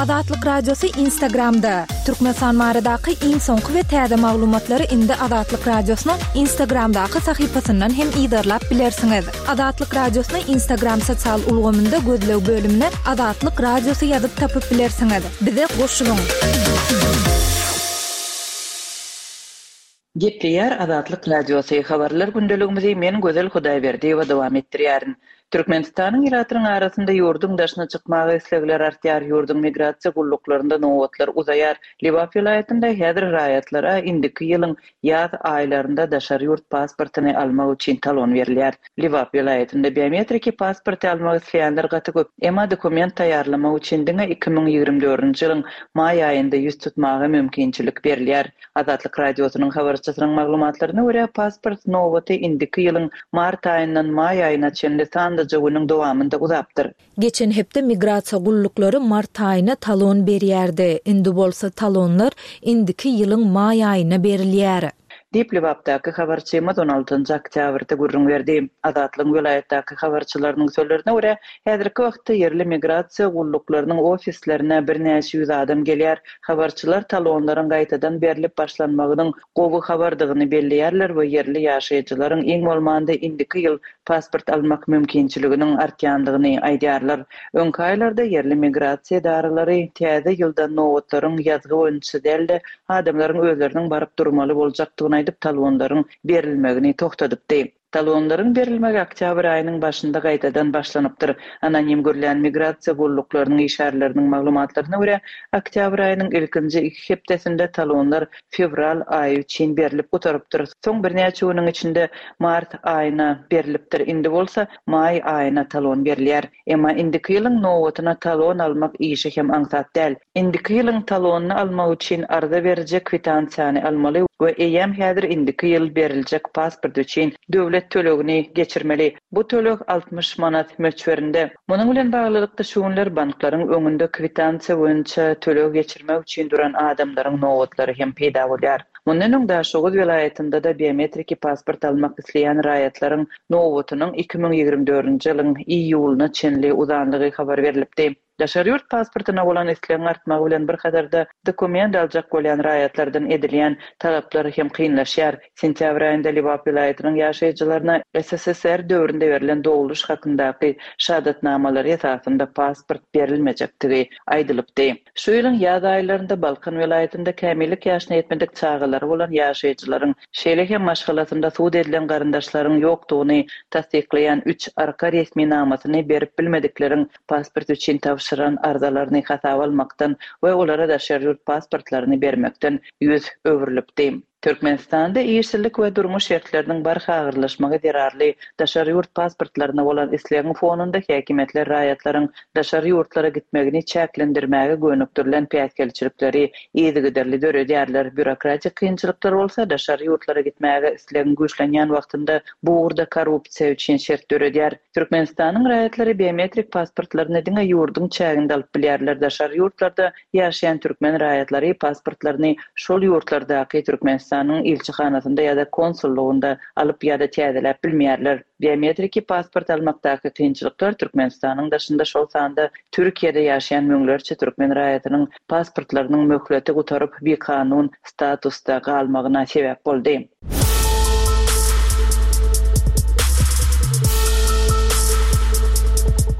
Azatlyk Radiosy Instagramda! Türkmenistan baradaky iň soňky we täze maglumatlary indi Azatlyk Radiosynyň Instagramdaky sahypasyndan hem yzarlap bilersiňiz. Azatlyk Radiosyny Instagram sosial ulgamynda gözleg bölümine Azatlyk Radiosy ýazyp tapyp bilersiňiz. Bize goşulyň! Gepleýär Azatlyk Radiosy, Habarlar gündeligimizi men Gözel Hudaýberdiýewa dowam etdirýärin. Türkmenistanyň ilatynyň arasynda ýurduň daşyna çykmaga islegler artýar, ýurduň migrasiýa gulluklarynda nobatlar uzaýar. Lebap welaýatynda häzir raýatlara indiki ýylyň ýaz aýlarynda daşary ýurt pasportyny almak üçin talon berilýär. Lebap welaýatynda biometriki pasporty almak isleýänler gaty köp, emma dokument taýýarlamak üçin diňe 2024-nji ýylyň maý aýynda ýüz tutmaga mümkinçilik berilýär. Azatlyk Radiosynyň habarçysynyň maglumatlaryna görä, pasport nobaty indiki ýylyň mart aýyndan maý aýyna çenli sanlyja günüň dowamynda uzapdyr. Geçen hepde migrasiýa gulluklary mart aýyna talon berýärdi, indi bolsa talonlar indiki ýylyň maý aýyna berilýär. Diýip, Lebapdaky habarçymyz on altynjy oktýabrda gürrüň berdi. Azatlygyň welaýatdaky habarçylarynyň sözlerine görä, häzirki wagtda ýerli migrasiýa gulluklarynyň ofislerine birnäçe ýüz adam gelýär. Habarçylar talonlaryň gaýtadan berlip başlanmagynyň gowy habardygyny belleýärler we ýerli ýaşaýjylaryň iň bolmanda indiki ýyl pasport almak mümkinçiliginiň artýandygyny aýdýarlar. Öňki aýlarda ýerli migrasiýa edaralary täze ýylda nobatlaryň ýazgy boýunça däl-de, adamlaryň özleriniň baryp durmaly boljakdygyny aýdyp, talonlaryň berilmegini togtadypdy. Talonlaryň berilmegi oktýabr aýynyň başynda gaýtadan başlanypdyr. Anonim gürlän migrasiýa gulluklarynyň işgärleriniň maglumatlaryna görä, oktýabr aýynyň ilkinji iki hepdesinde talonlar fewral aýy üçin berlip gutarypdyr, soň birnäçe günüň içinde mart aýyna berlipdir, indi bolsa maý aýyna talon berilýär. Emma indiki ýylyň nobatyna talon almak işi hem aňsat däl. Indiki ýylyň talonyny almak üçin arza beriji kwitansiýany almaly we eýýäm häzir indiki ýyl beriljek pasport üçin döwlet tölegini geçirmeli. Bu töleg 60 manat möçberinde. Munuň bilen baglylykda şu günler banklaryň öňünde kwitansiýa boýunça töleg geçirmek üçin duran adamlaryň nobatlary hem peýda bolýar. Mundan öň Daşoguz welaýatynda-da biometriki pasport almak isleýän raýatlaryň nobatynyň 2024-nji ýylyň iýulyna çenli uzanlygy habar berlipdi. Daşary ýurt pasportyna bolan islegiň artmagy bilen bir hatarda dokument aljak bolýan raýatlardan edilýän talaplar hem kynlaşýar. Sentýabr aýynda Lebap welaýatynyň ýaşaýjylaryna SSSR döwründe berlen dogluş hakyndaky şahadatnamalary esasynda pasport berilmejekdigi aýdylypdy. Şu ýylyň ýaz aýlarynda Balkan welaýatynda kämillik ýaşyna ýetmedik çagalary bolan ýaşaýjylaryň, şeýle hem maşgalasynda sud edilen garyndaşlaryň ýokdugyny tassyklaýan üç arka resminamasyny berip bilmedikleriň pasport üçin tabşyran arzalaryny hasaba almakdan we olara daşary ýurt pasportlaryny bermekden ýüz öwrülipdi. Türkmenistanda işsizlik we durmuş şertleriniň barha agyrlaşmagy zerarly daşary ýurt pasportlaryna bolan islegiň fonunda häkimiýetler raýatlaryň daşary ýurtlara gitmegini çäklendirmäge gönükdirilen päsgelçilikleri yzygiderli döredýärler, býurokratik kynçylyklar bolsa daşary ýurtlara gitmäge islegiň güýçlenýän wagtynda bu ugurda korrupsiýa üçin şert döredýär. Türkmenistanyň raýatlary biometrik pasportlaryny diňe ýurduň çäginde alyp bilýärler, daşary ýurtlarda Ýaşaýan türkmen raýatlary pasportlaryny şol ýurtlardaky Türkmenistanyň ilçihanasynda ýa-da konsullygynda alyp ýa-da täzeläp bilmeýärler. Biometriki pasport almakdaky kynçylyklar Türkmenistanyň daşynda, şol sanda Türkiýede ýaşaýan müňlerçe türkmen raýatynyň pasportlarynyň möhleti gutaryp, bikanun statusda galmagyna sebäp boldy.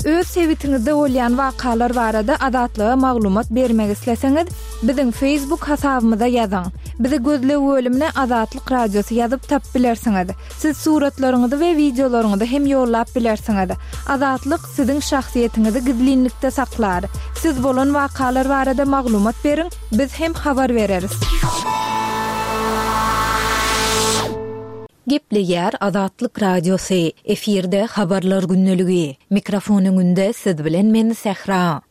Öz sebitiňizde bolýan wakalar barada Azatlyga maglumat bermek isleseňiz, biziň Facebook hasabymyza ýazyň. Bizi gözleg bölümine Azatlyk Radiosy ýazyp tapyp bilersiňiz. Siz suratlaryňyzy we wideolaryňyzy hem ýollap bilersiňiz. Azatlyk siziň şahsyýetiňizi gizlinlikde saklar. Siz bolan wakalar barada maglumat beriň, Biz hem habar bereris. Gepleýär Azatlyk Radiosy, efirde Habarlar gündeligi. Mikrofon öňünde siz bilen men Sähra.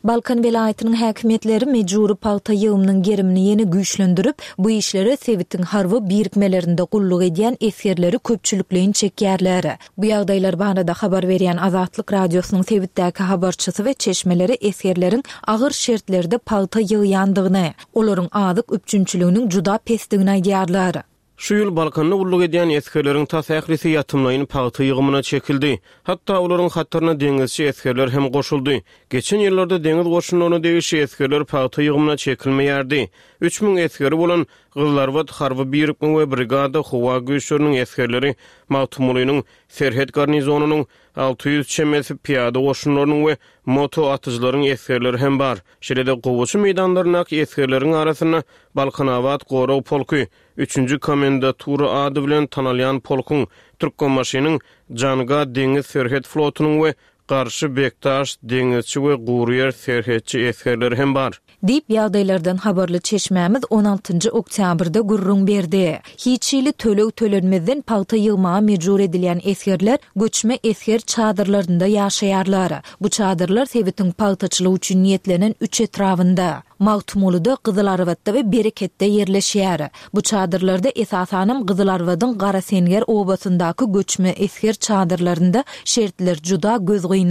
Balkan welaýatynyň häkimiýetleri mejbury pagta ýygymynyň gerimini ýene güýçlendirip, bu işlere sebitiň harby birikmelerinde gulluk edýän esgerleri köpçülikleýin çekýärler. Bu ýagdaýlar barada habar berýän Azatlyk Radiosynyň sebitdäki habarçysy we çeşmeleri esgerleriň agyr şertlerde pagta ýygýandygyny, olaryň azyk üpjünçiliginiň juda pesdigini aýdýarlar. Şu ýyl Balkanda gulluk edýän esgerleriň tas ählisi ýatymlaýyn pagta ýygymyna çekildi. Hatda olaryň hataryna deňizçi esgerler hem goşuldy. Geçen ýyllarda deňiz goşunlaryna degişli esgerler pagta ýygymyna çekilmeýärdi. 3000 esgeri bolan Gyzylarbat harby birikme we brigada howa güýçleriniň esgerleri Magtymgulynyň serhet garnizonynyň 600 çemesi pyýada goşunlarynyň we moto atyjylaryň esgerleri hem bar. Şeýle-de gowaça meýdanlaryndaky esgerleriň arasynda Balkanabat gorag polky, üçünji komendatura ady bilen tanalýan polkuň, Türkmenbaşynyň Janga deňiz serhet flotunyň we Garşy Bekdaş deňizçi we guryýer serhetçi esgerleri hem bar. Diýip, ýagdaýlardan habarly çeşmämiz on altynjy oktýabrda gürrüň berdi. Hiç hili töleg tölenmezden pagta ýygmaga mejbur edilýän esgerler göçme esger çadyrlarynda ýaşaýarlar. Bu çadyrlar sebitiň pagtaçylyk üçin niýetlenen üç etrabynda, Magtymgulyda, Gyzylarbatda we Bereketde ýerleşýär. Bu çadyrlarda esasanam Gyzylarbadyň Garasenger obasyndaky göçme esger çadyrlarynda şertler juda gözgyny.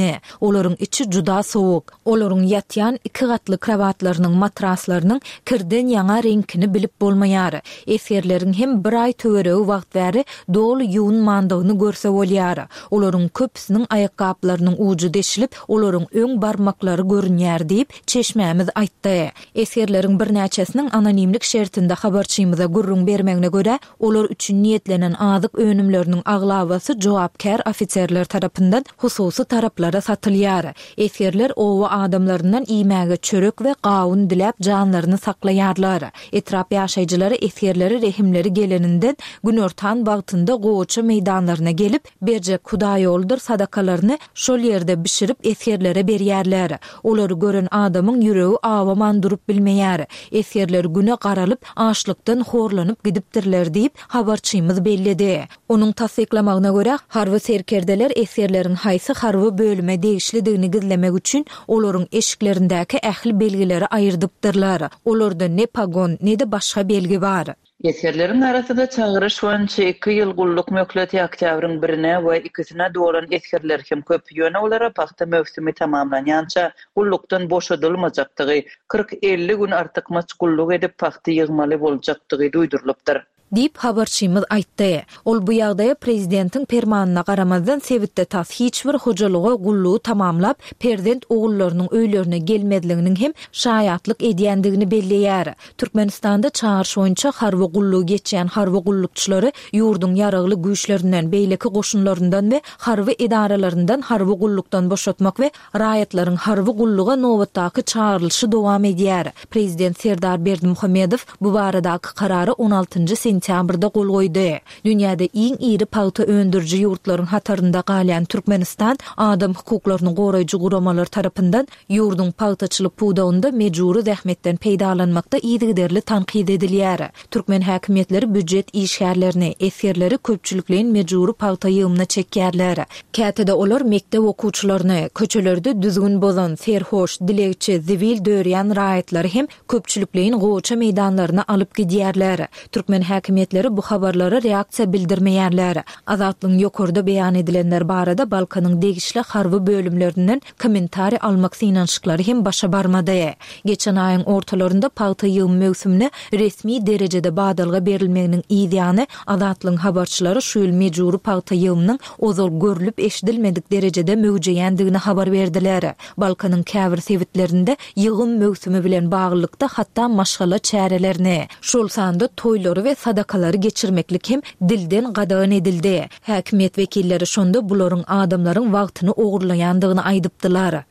Olaryň içi juda sowuk. Olaryň ýatýan iki gatly krowatlarynyň matraslarynyň kirden ýaňa reňkini bilip bolmaýar. Esgerleriň hem bir aý töweregi wagt bäri doly ýuwunmandygyny görse bolýar. Olaryň köpüsiniň aýakgaplarynyň ujy deşilip, olaryň öň barmaklary görünýär diýip, çeşmämiz aýtdy. Esgerleriň birnäçesiniň anonimlik şertinde habarçymyza gürrüň bermegine görä, Olar üçin niýetlenen azyk önümleriniň aglabasy jogapkär ofiserler tarapyndan hususy taraplara satylýar. Esgerler oba adamlaryndan iýmäge çörek we gawun diläp janlaryny saklaýarlar. Etrap ýaşaýjylary esgerlere rehimleri geleninden günortan wagtynda gowaça meýdanlaryna gelip, berjek hudaýoludyr sadakalaryny şol ýerde bişirip esgerlere berýärler. Olary gören adamyň ýüregi awaman durup bilmeýär. Esgerler güne garalyp, açlykdan horlanyp gidipdirler diýip, habarçymyz belledi. Onuň tassyklamagyna görä, harby serkerdeler esgerleriň haýsy harby bölüme degişlidigini gizlemek üçin olaryň eşiklerindäki ähli belgileri aýyrdypdyrlar. Olarda ne pogon, ne-de başga belgi bar. Esgerleriň arasynda çagyryş boýunça iki ýyl gulluk möhleti oktýabryň birine we ikisine dolan esgerler hem köp, ýöne olara pagta möwsümi tamamlanýança gullukdan boşadylmajakdygy, 40-50 gün artykmaç gulluk edip pagta ýygmaly boljakdygy duýdurylypdyr. Diýip, habarçymyz aýtdy. Ol bu ýagdaýa prezidentiň permanyna garamazdan sebitde tas hiç bir hojalyga gullugy tamamlap, perzent ogullarynyň öýlerine gelmezliginiň hem şaýatlyk edýändigini belleýär. Türkmenistanda çagyryş boýunça harby gullugy geçýän harby gullukçylary ýurduň Ýaragly Güýçlerinden, beýleki goşunlaryndan we harby edaralaryndan harby gullukdan boşatmak we raýatlaryň harby gulluga nobatdaky çagyrylyşy dowam edýär. Prezident Serdar Berdimuhamedow bu baradaky karara on altynjy sentýabrda gol goýdy. Dünýäde iň iri pagta öndüriji ýurtlaryň hatarynda galýan Türkmenistan adam hukuklaryny goraýjy guramalar tarapyndan Ýurduň pagtaçylyk pudagynda mejbury zähmetden peýdalanmakda yzygiderli tankyt edilýär. Türkmen häkimiýetleri býujet işgärlerini, esgerleri köpçülikleýin mejbury pagta ýygymyna çekýärler. Käte-de olar mekdep okuwçylaryny, köçelerde düzgün bozan, serhoş, dilegçi, zibil dörýän raýatlary hem köpçülikleýin gowaça meýdanlaryna alyp gidýärler. Türkmen häkimiýetleri bu habarlara reaksiýa bildirmeýärler. Azatlygyň ýokarda beýan edilenler barada Balkanyň degişli harby bölümlerinden kommentariý almak synanyşyklary hem başa barmady. Geçen aýyň ortalarynda pagta ýygym möwsümine resmi derejede badalga berilmeginiň yz ýany, Azatlygyň habarçylary şu ýyl mejbury pagta ýygymynyň ozal görlüp-eşidilmedik derejede möwjeýändigini habar berdiler. Balkanyň käbir sebitlerinde ýygym möwsümi bilen baglylykda hatda maşgala çärelerini, şol sanda toýlary we sadakalary geçirmeklik hem dilden gadagan edildi. Häkimiýet wekilleri şonda bularyň adamlaryň wagtyny ogurlaýandygyny aýdypdylar.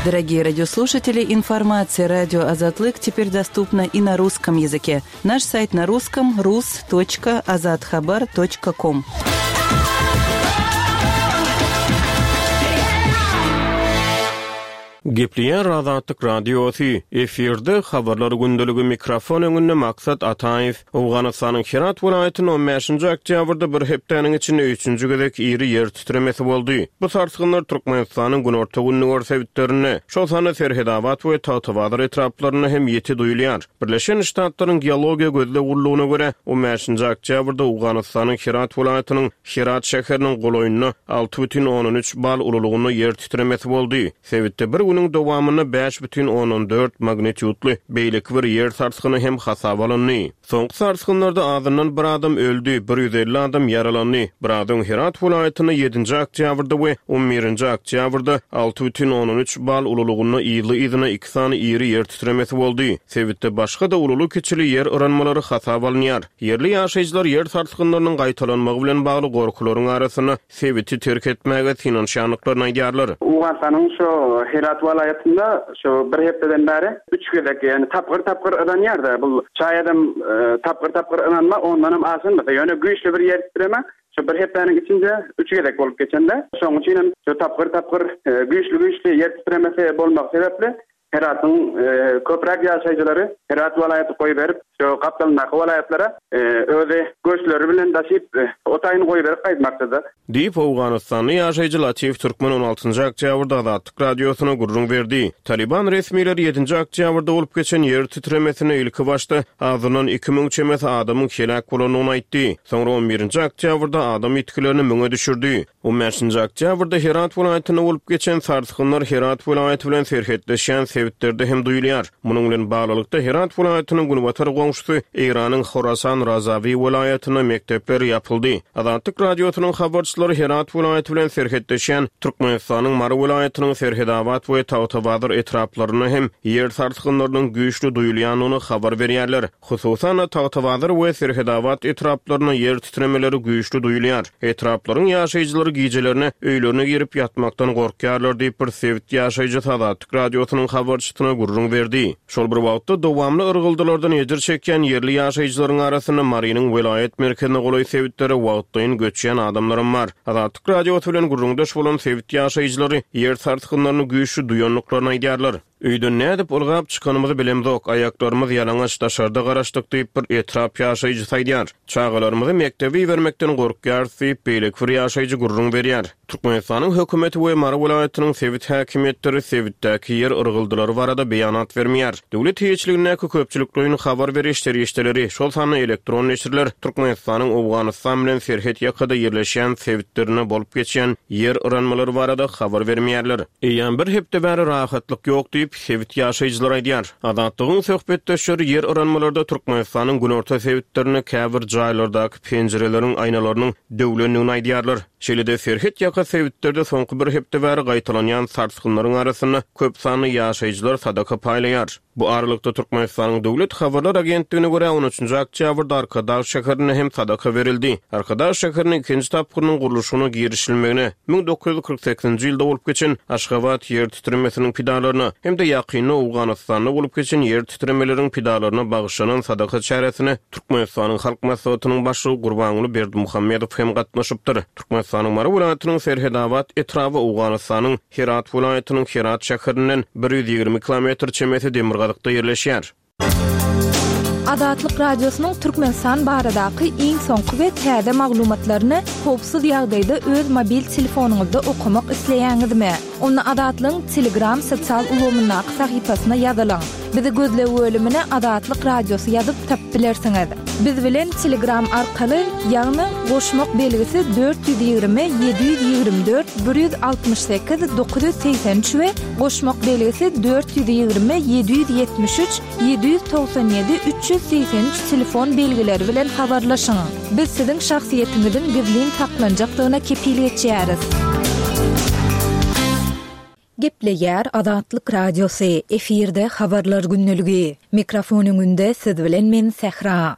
Дорогие радиослушатели, информация радио Азатлык теперь доступна и на русском языке. Наш сайт на русском rus.azathabar.com. Gepleýär Azatlyk Radiosy, efirde Habarlar gündeligi mikrofon öňünde Maksat Ataýew. Owganystanyň Herat welaýatynda on bäşinji oktýabrda bir hepdäniň içinde üçünji gezek iri ýer titremesi boldy. Bu sarsgynlar Türkmenistanyň günorta-gündogar sebitlerinde, şol sanda Serhedabat we Tagtabazar etraplarynda hem ýiti duýulýar. Birleşen Ştatlaryň Geologiýa gözleg gullugyna görä, on bäşinji oktýabrda Owganystanyň Herat welaýatynyň Herat şäheriniň golaýynda 6,3 bal ululygynda ýer titremesi boldy. Sebitde bir günüň. günüň dowamynda 5,4 magnitýudly beýleki bir ýer sarsgyny hem hasaba alyndy. Soňky sarsgynlarda azyndan bir adam öldi, 150 adam ýaralandy. Biraz öň Herat welaýatynda ýedinji oktýabrda we on birinji oktýabrda 6,3 bal ululygynda yzly-yzyna iki sany iri ýer titremesi boldy. Sebitde başga-da ululy-kiçili ýer yranmalary hasaba alynýar. Ýerli ýaşaýjylar ýer sarsgynlarynyň gaýtalanmagy bilen bagly gorkularyň arasynda sebiti terk etmäge synanyşýandyklaryny aýdýarlar. Owganystanyň şu Herat welaýatynda şu bir hepdeden bäri üç gezek, ýagny tapgyr-tapgyr yranýar-da. Bu şaýadam tapgyr-tapgyr yranma ondanam aşanmasa, ýöne güýçli bir ýer titreme şu bir hepdäniň içinde üç gezek bolup geçende. Şonuň üçin hem şu tapgyr-tapgyr güýçli-güýçli ýer titremesi bolmagy sebäpli Heratyň köpräk ýaşaýjylary Herat welaýaty goýberip, şu gapdalyndaky welaýatlara özi göçleri bilen daşyp, o taýyny goýberip gaýtmakdyda. Diýip, owganystanly ýaşaýjy Latif Türkmen on altynjy oktýabrda Azatlyk Radiosyna gürrüň berdi. Talyban resmileri ýedinji oktýabrda bolup geçen ýer titremesinde ilkibaşda azyndan 2000 çemesi adamyň heläk bolandygyny aýtdy. Soňra on birinji oktýabrda adam ýitgilerini müňe düşürdi. On bäşinji oktýabrda Herat welaýatynda bolup geçen sarsgynlar Herat welaýaty bilen serhetleşýän sebitlerde hem duýulýar. Munuň bilen baglylykda, Herat welaýatynyň günbatar goňşusy Eýranyň Horasan Razawi welaýatynda mekdepler ýapyldy. Azatlyk Radiosynyň habarçylary Herat welaýaty bilen serhetleşýän Türkmenistanyň Mary welaýatynyň Serhedabat we Tagtabazar etraplarynda hem ýer sarsgynlarynyň güýçli duýulýandygyny habar berýärler. Hususan-da, Tagtabazar we Serhedabat etraplarynda ýer titremeleri güýçli duýulýar. Etraplaryň ýaşaýjylary gijelerine öýlerine girip ýatmakdan gorkýarlar diýip, bir sebit ýaşaýjysy Azatlyk Radiosynyň habarçysyna gürrüň berdi. Şol bir wagtda, dowamly yrgyldylardan ejir çekýän ýerli ýaşaýjylaryň arasynda Marynyň welaýat merkezine golaý sebitlere wagtlaýyn göçýän adamlaram bar. Azatlyk Radiosy bilen gürrüňdeş bolan sebit ýaşaýjylary ýer sarsgynlaryny güýçli duýandyklaryny aýdýarlar. Öýden nädip ylgap çykanymyzy bilemzok, aýaklarymyz ýalaňaç daşarda garaşdyk diýip, bir etrap ýaşaýjysy aýdýar. Çagalarymyzy mekdebe ibermekden gorkýarys diýip, beýleki bir ýaşaýjy gürrüň berýär. Türkmenistanyň hökümeti we Mary welaýatynyň sebit häkimiýetleri sebitdäki ýer yrgyldylary barada beýanat bermeýär. Döwlet eýeçiligindäki köpçülikleýin habar beriş serişdeleri, şol sanda elektron neşirler Türkmenistanyň Owganystan bilen serhet ýakada ýerleşýän sebitlerinde bolup geçýän ýer yranmalary barada habar bermeýärler. Eýýäm bir hepde bäri rahatlyk ýok diýip, sebit ýaşaýjylary aýdýar. Azatlygyň söhbetdeşleri ýer yranmalarda Türkmenistanyň günorta sebitlerinde käbir jaýlardaky penjireleriň aýnalarynyň döwlendigini aýdýarlar. Şeýle-de, serhet ýaka sebitlerde soňky bir hepde bäri gaýtalanýan sarsgynlaryň arasynda köp sanly ýaşaýjylar sadaka paýlaýar. Bu aralykda, Türkmenistanyň Döwlet habarlar agentligine görä, on üçünji oktýabrda Arkadag şäherinde hem sadaka berildi. Arkadag şäheriniň ikinji tapgyrynyň gurluşygyna girişilmegine, 1948-nji ýylda bolup geçen Aşgabat ýer titremesiniň pidalaryna hem-de ýakynda Owganystanda bolup geçen ýer titremeleriň pidalaryna bagyşlanan sadaka çäresine Türkmenistanyň Halk Maslahatynyň Başlygy Gurbanguly Berdimuhamedow hem gatnaşypdyr. Türkmenistanyň Mary welaýatynyň Serhedabat etraby Owganystanyň Herat welaýatynyň Herat şäherinden 120 kilometr çemesi demirgazykda ýerleşýär. Azatlyk Radiosynyň Türkmenistan baradaky iň soňky we täze maglumatlaryny howpsuz ýagdaýda öz mobil telefonyňyzda okamak isleýäňizmi? Onda Azatlygyň Telegram sosial ulgamyndaky sahypasyna ýazylyň. Bizi gözleg bölümine Azatlyk Radiosy ýazyp tapyp bilersiňiz. Biz bilen Telegram arkaly, ýagny goşmak belgisi 420 724 168 983 we goşmak belgisi 420 773 797 383 telefon belgileri bilen habarlaşyň. Biz siziň şahsyýetiňiziň gizlin saklanjakdygyna kepil geçýäris. Gepleýär Azatlyk Radiosy, efirde Habarlar gündeligi. Mikrofon öňünde siz bilen men Sähra.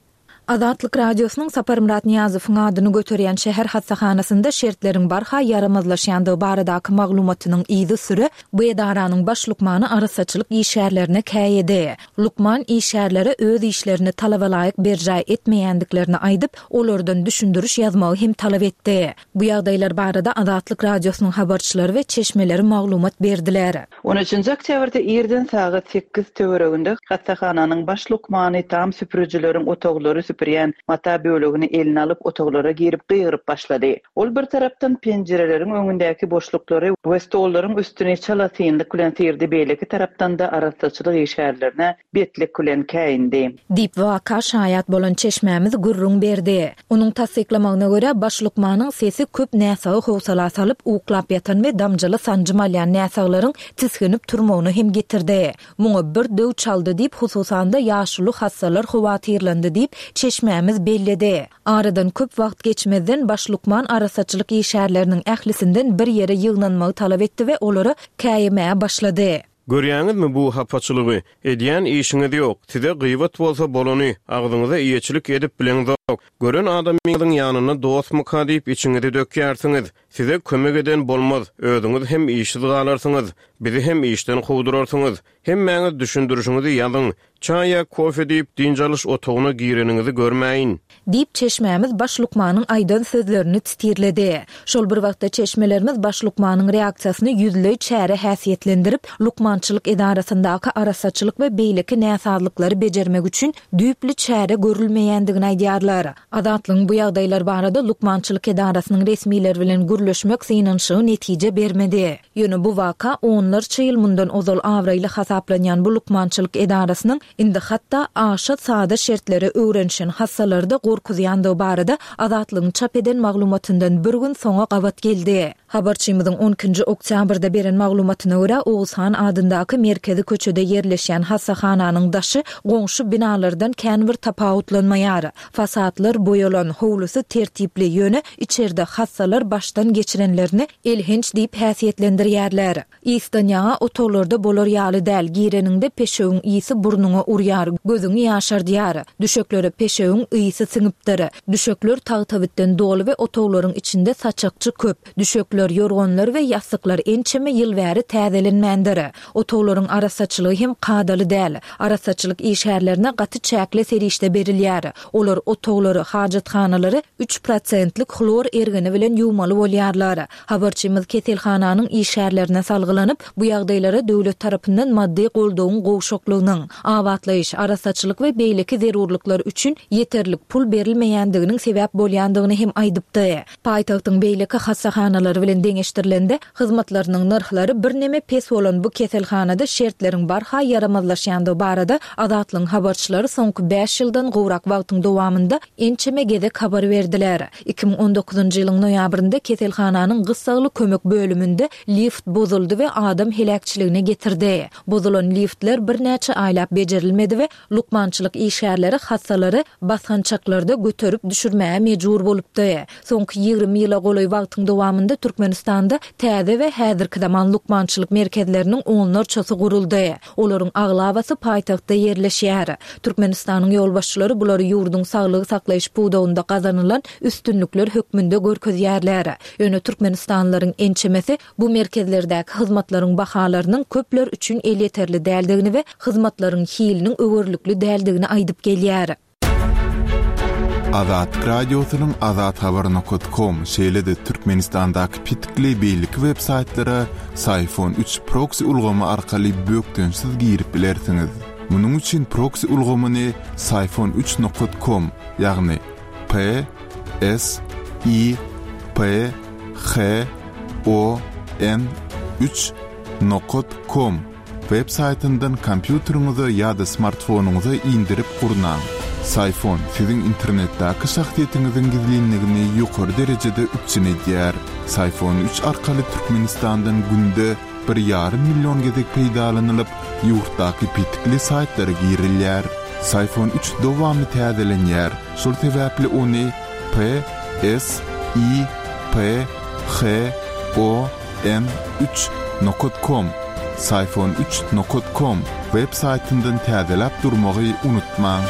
Azatlyk Radiosynyň Saparmyrat Nyýazowyň adyny göterýän şäher hassahanasynda şertleriň barha ýaramazlaşýandygy baradaky maglumatynyň yzysüre bu edaranyň baş lukmany arassaçylyk işgärlerine käýedi. Lukman işgärlere öz işlerini talabalaýyk berjaý etmeýändiklerini aýdyp, olardan düşündiriş ýazmagy hem talap etdi. Bu ýagdaýlar barada Azatlyk Radiosynyň habarçylary we çeşmeleri maglumat berdiler. On üçünji oktýabrda irden sagat sekiz töwereginde hassahananyň baş lukmany tam süpürijileriň otaglary süpürip. süpürýän mata bölegini eline alyp, otaglara girip gygyryp başlady. Ol bir tarapdan penjireleriň öňündäki boşluklary we stollaryň üstüni çalasynlyk bilen syrdy, beýleki tarapdan-da arassaçylyk işgärlerine betlik bilen käýindi. Diýip, waka şaýat bolan çeşmämiz gürrüň berdi. Onuň tassyklamagyna görä, baş lukmanyň sesi köp näsagy howsala salyp, uklap ýatan we damjaly sanjym alýan näsaglaryň tisginip turmagyna hem getirdi. Muňa bir döw çaldy diýip, hususan-da, ýaşuly hassalar howatyrlandy diýip, çeşmämiz belledi. Aradan köp wagt geçmezden, baş lukman arassaçylyk işgärleriniň ählisinden bir ýere ýygnanmagy talap etdi we olara käýemäge başlady. Görýäňizmi bu hapaçylygy? Edýän işiňiz ýok. Size gybat bolsa bolany, agzyňyza eýeçilik edip bileňzok. Gören adamyňyzyň ýanynda dostmyka diýip içiňizi dökýärsiňiz. Size kömek eden bolmaz, özüňiz hem işsiz galarsyňyz, bizi hem işden kowdurarsyňyz. Hemmäňiz düşündirişiňizi ýazyň. Çaý ýa kofe diýip, dynç alyş otagyna gireniňizi görmäýin. Diýip, çeşmämiz baş lukmanyň aýdan sözlerini titirledi. Şol bir wagtda çeşmelerimiz baş lukmanyň reaksiýasyny ýüzleý çäre häsiýetlendirip, lukmançylyk edarasyndaky arassaçylyk we beýleki näsazlyklary bejermek üçin düýpli çäre görülmeýändigini aýdýarlar. Azatlygyň bu ýagdaýlar barada lukmançylyk edarasynyň resmileri bilen gürleşmek synanyşygy netije bermedi. Ýöne bu waka onlarça ýyl mundan ozal abraýly hasaplanýan bu lukmançylyk edarasynyň indi hatda aşa sada şertlere öwrenişen hassalary-da gorkuzýandygy barada Azatlygyň çap eden maglumatyndan bir gün soňa gabat geldi. Habarçymyzyň on ikinji oktýabrda beren maglumatyna görä, Oguzhan adyndaky merkezi köçede ýerleşýän hassahananyň daşy goňşy binalardan kän bir tapawutlanmaýar. Fasadlar boýalan, howlusy tertipli, ýöne içerde hassalar başdan geçirenlerini elhenç diýip häsiýetlendirýärler. Ysdan ýaňa otaglarda bolar ýaly däl, gireniňde peşewiň ysy burnuňa urýar, gözüňi ýaşardýar. Düşeklere peşewiň ysy siňipdir. Düşekler tagtabitden doly we otaglaryň içinde saçakçy köp. Düşekler, ýorganlar we ýassyklar ençeme ýyl bäri täzelenmändir. Otaglaryň arassaçylygy hem kadaly däl. Arassaçylyk işgärlerine gaty çäkli serişde berilýär. Olar otaglary, hajathanalary üç prosentlik hlor ergini bilen ýuwmaly bolýarlar. Habarçymyz keselhananyň işgärlerine salgylanyp, bu ýagdaýlara döwlet tarapyndan maddy goldawyň gowşaklygynyň, abatlaýyş, arassaçylyk we beýleki zerurlyklar üçin ýeterlik pul berilmeýändiginiň sebäp bolýandygyny hem aýdypdy. Paýtagtyň beýleki hassahanalary bilen deňeşdirilende, hyzmatlarynyň nyrhlary birneme pes bolan bu keselhanada şertleriň barha ýaramazlaşýandygy barada Azatlygyň habarçylary soňky bäş ýyldan gowrak wagtyň dowamynda ençeme gezek habar berdiler. 2019-njy ýylyň noýabrynda keselhananyň gyssagly kömek bölüminde lift bozuldy we adam heläkçiligine getirdi. Bozulan liftler birnäçe aýlap bejerilmedi we Lukmançylyk işgärleri hassalary basgançaklarda göterip düşürmäge mejbur bolupdy. Soňky 20 ýyla golaý wagtyň dowamynda Türkmenistanda täze we häzirki zaman lukmançylyk merkezleriniň onlarçasy guruldy. Olaryň aglabasy paýtagtda ýerleşýär. Türkmenistanyň ýolbaşçylary bulary ýurduň saglygy saklaýyş pudagynda gazanylan üstünlikler hökmünde görkezýärler. Ýöne türkmenistanlylaryň ençemesi Bu merkezlerdäki hyzmatlaryň bahalarynyň köpler üçin elýeterli däldigini we hyzmatlaryň hiliniň öwerlikli däldigini aýdyp gelýär. Azatlyk Radiosynyň Azathabar nokat kom, şeýle-de Türkmenistandaky petikli beýleki web saýtlara Syfon üç proksi ulgamy arkaly bökdençsiz girip bilersiňiz. Munuň üçin proksi ulgamyny Syfon üç nokat kom, ýagny P S I P H O N üç nokat kom web saýtyndan kompýuteriňize ýa-da smartfonyňyza indirip gurnaň. Syfon siziň internetdäki şahsyýetiňiziň gizlinligini ýokary derejede üpjün edýär. Syfon üç arkaly Türkmenistandan günde bir ýarym million gezek peýdalanylyp, ýurtdaky petikli saýtlara girilýär. Syfon üç dowamly täzelenýär, şol sebäpli ony P S I P H O N üç nokat kom, Syfon üç nokat kom, web saýtyndan täzeläp durmagy unutmaň.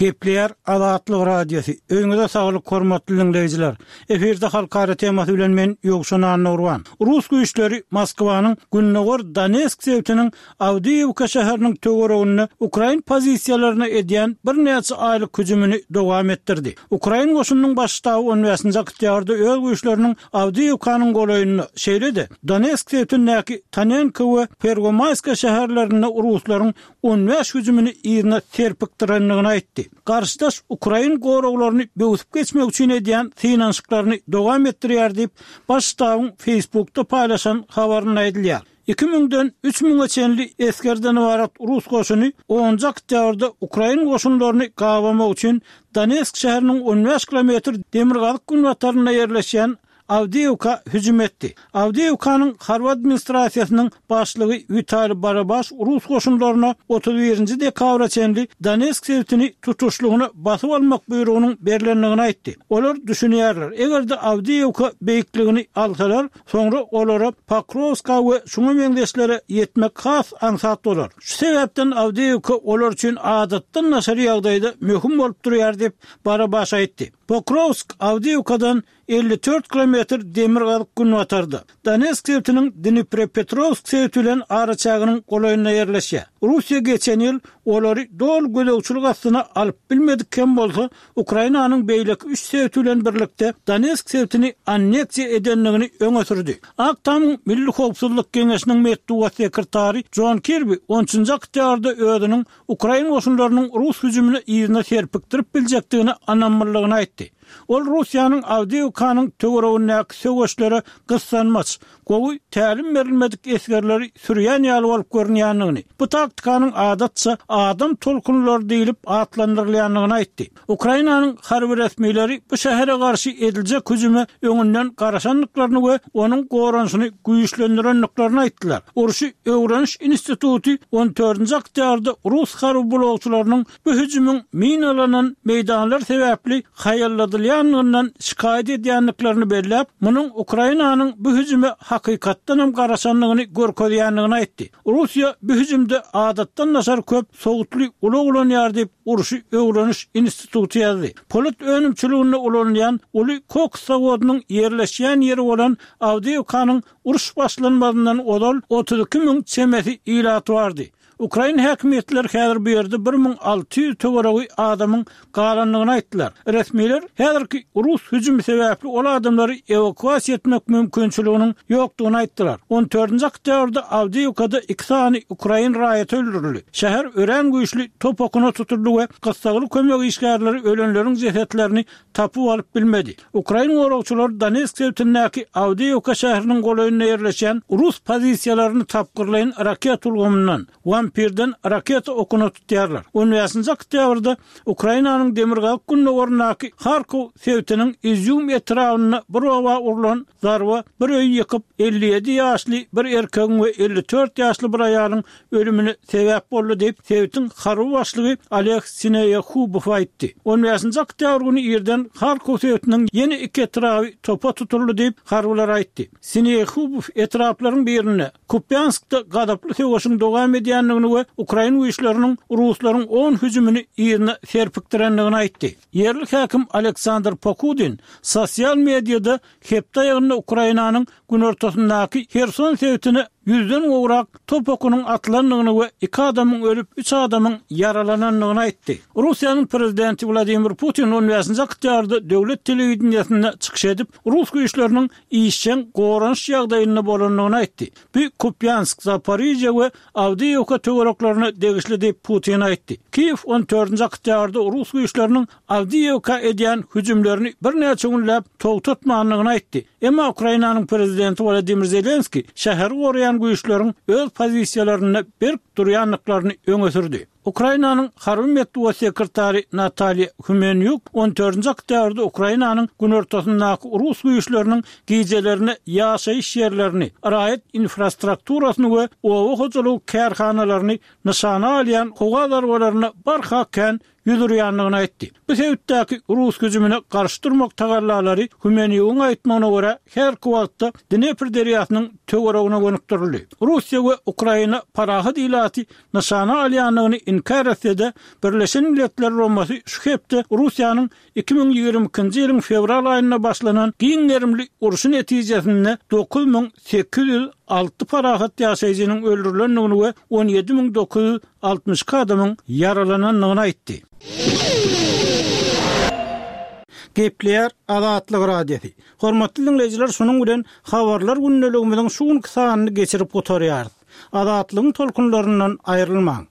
Gepleýär Azatlyk Radiosy. Öýüňize saglyk hormatly diňleýjiler. Efirde halkara temasy bilen men Ýowşan Annagurban. Rus güýçleri Moskwanyň gündogar Donetsk sebitiniň Awdiýewka şäheriniň töwereginde ukrain pozisiýalaryna edýän birnäçe aýlyk hüjümini dowam etdirdi. Ukrain goşunynyň baş ştaby on bäşinji oktýabrda öz güýçleriniň Awdiýewkanyň golaýynda, şeýle-de Donetsk sebitindäki Tonenko we Perwomaýska şäherlerinde ruslaryň 15 hüjümini yzyna serpikdirendigini aýtdy. Garşydaş ukrain goraglaryny böwsüp geçmek üçin edýän synanyşyklaryny dowam etdirýär diýip, Baş ştabyň Facebookda paýlaşan habarynda aýdylýar. Iki müňden üç müňe çenli esgerden ybarat rus goşuny onunjy oktýabrda ukrain goşunlaryny gabamak üçin Donetsk şäheriniň on bäş kilometr demirgazyk-günbatarynda ýerleşýän Awdiýewka hüjüm etdi. Awdiýewkanyň harby administrasiýasynyň başlygy Witaliý Barabaş rus goşunlaryna 31 nji dekabra çenli Donetsk sebitini tutuşlygyna basyp almak buýrugynyň berlendigini aýtdy. Olar düşünýärler, eger-de Awdiýewka beýikligini alsalar, soňra olara Pokrowska we şuňa meňzeşlere ýetmek has aňsat bolar. Şu sebäpden Awdiýewka olar üçin adatdan daşary ýagdaýda möhüm bolup durýar diýip, Barabaş aýtdy. Pokrowsk Awdiýewkadan 54 kilometr demirgazyk-günbatarda, Donetsk sebitiniň Dniprepetrowsk sebiti bilen araçäginiň golaýynda ýerleşýär. Russiýa geçen ýyl olary doly gözegçilik astyna alyp bilmedik hem bolsa, Ukrainanyň beýleki üç sebiti bilen birlikde Donetsk sebitini anneksiýa edendigini öňe sürdi. Ak Tamyň Milli howpsuzlyk geňeşiniň metbugat sekretary Jon Kirbi on üçünji oktýabrda özüniň ukrain goşunlarynyň rus hüjümini yzyna serpikdirip biljekdigine ynamlydygyny aýtdy. Ol Russiýanyň Awdiýewkanyň töweregindäki söweşlere gyssanmaç, gowy tälim berilmedik esgerleri sürýän ýaly bolup görünýändigini, bu taktikanyň adatça adam tolkunlary diýlip atlandyrylýandygyny aýtdy. Ukrainanyň harby resmileri bu şähere garşy ediljek hüjüme öňünden garaşandyklaryny we onuň goranyşyny güýçlendirendiklerini aýtdylar. Urşy öwreniş instituty on dördünji oktýabrda rus harby blogçylarynyň bu hüjümiň minalanan meýdanlar sebäpli haýalladylýandygyndan şikaýat edýändiklerini belläp, munuň Ukrainanyň bu hüjüme hakykatdanam garaşandygyny görkezýändigini aýtdy. Russiýa bu hüjümde adatdan daşary köp sowutly ulag ulanýar diýip, Urşy öwreniş instituty ýazdy. Polat önümçiliginde ulanylýan uly koks zawodynyň ýerleşýän ýeri bolan Awdiýewkanyň uruş başlanmazyndan ozal 32 müň çemesi ilaty bardy. Ukrain häkimiýetleri häzir bu ýerde 1600 töweregi adamyň galandygyny aýtdylar. Resmiler häzirki rus hüjümi sebäpli ol adamlary ewakuasiýa etmek mümkinçiliginiň ýokdugyny aýtdylar. On dördünji oktýabrda Awdiýewkada iki sany ukrain raýaty öldürildi. Şäher örän güýçli top okuna tutuldy we gyssagly kömek işgärleri ölenleriň jesetlerini tapyp alyp bilmedi. Ukrain goragçylary Donetsk sebitindäki Awdiýewka şäheriniň golaýynda ýerleşýän rus pozisiýalaryny tapgyrlaýyn raketa ulgamyndan, Wampirden raketa okuna tutýarlar. On bäşinji oktýabrda Ukrainanyň demirgazyk-gündogaryndaky Harkow sebitiniň Izýum etrabynda bir oba urlan zarba bir öýi ýykyp, 57 ýaşly bir erkegiň we 54 ýaşly bir aýalyň ölümine sebäp boldy diýip, sebitiň harby başlygy Oleg Sineýehubow aýtdy. On bäşinji oktýabr güni irden Harkow sebitiniň ýene iki etraby topa tutuldy diýip, harbylar aýtdy. Sineýehubow etraplaryň birinde, Kupýanskda gazaply söweşiň dowam edýändigini we ukrain güýçleriniň ruslaryň on hüjümini yzyna serpikdirendigini aýtdy. Ýerli häkim Aleksandr Pokudin sosial mediada hepde aýagynda Ukrainanyň günortasyndaky Herson sebitine ýüzden gowrak top okunyň atylandygyny we iki adamyň ölüp, üç adamyň ýaralanandygyny aýtdy. Russiýanyň prezidenti Wladimir Putin on bäşinji oktýabrda döwlet telewideniýesinde çykyş edip, rus güýçleriniň işjeň goranyş ýagdaýynda bolandygyny aýtdy. Bu Kupýansk, Zaporižýa we Awdiýewka töwereklerine degişli diýip, Putin aýtdy. Kiýew on dördünji oktýabrda rus güýçleriniň Awdiýewka edýän hüjümlerini birnäçe günläp togtatmandygyny aýtdy. Emma Ukrainanyň prezidenti Wolodymyr Zelenskiý şäheri goraýan güýçleriň öz pozisiýalarynda berk durýandyklaryny öňe sürdi. Ukrainanyň harby metbugat sekretary Natalýa Humenýuk on dördünji oktýabrda Ukrainanyň günortasyndaky rus güýçleriniň gijelerine ýaşaýyş ýerlerini, raýat infrastrukturasyny we oba hojalygy kärhanalaryny nyşana alýan howa zarbalaryna barha kän. urýandygyny aýtdy. Bu sebitdäki rus hüjümine garşy durmak tagallalary Humenýugyň aýtmagyna görä, häzirki wagtda Dnepr derýasynyň töweregine gönükdirildi. Russiýa we Ukraina parahat ilaty nyşana alýandygyny inkär etse-de, Birleşen Milletler Guramasy şu hepde Russiýanyň 2022-nji ýylyň fewral aýynda başlanan giň gerimli urşy netijesinde 9806 parahat ýaşaýjynyň öldürilendigini we 17 962 adamyň ýaralanandygyny aýtdy. Gepleýär Azatlyk Radiosy. Hormatly diňleýjiler şunuň bilen Habarlar gündeligimiziň şu günki sanyny geçirip gutarýarys. Azatlygyň tolkunlaryndan aýrylmaň!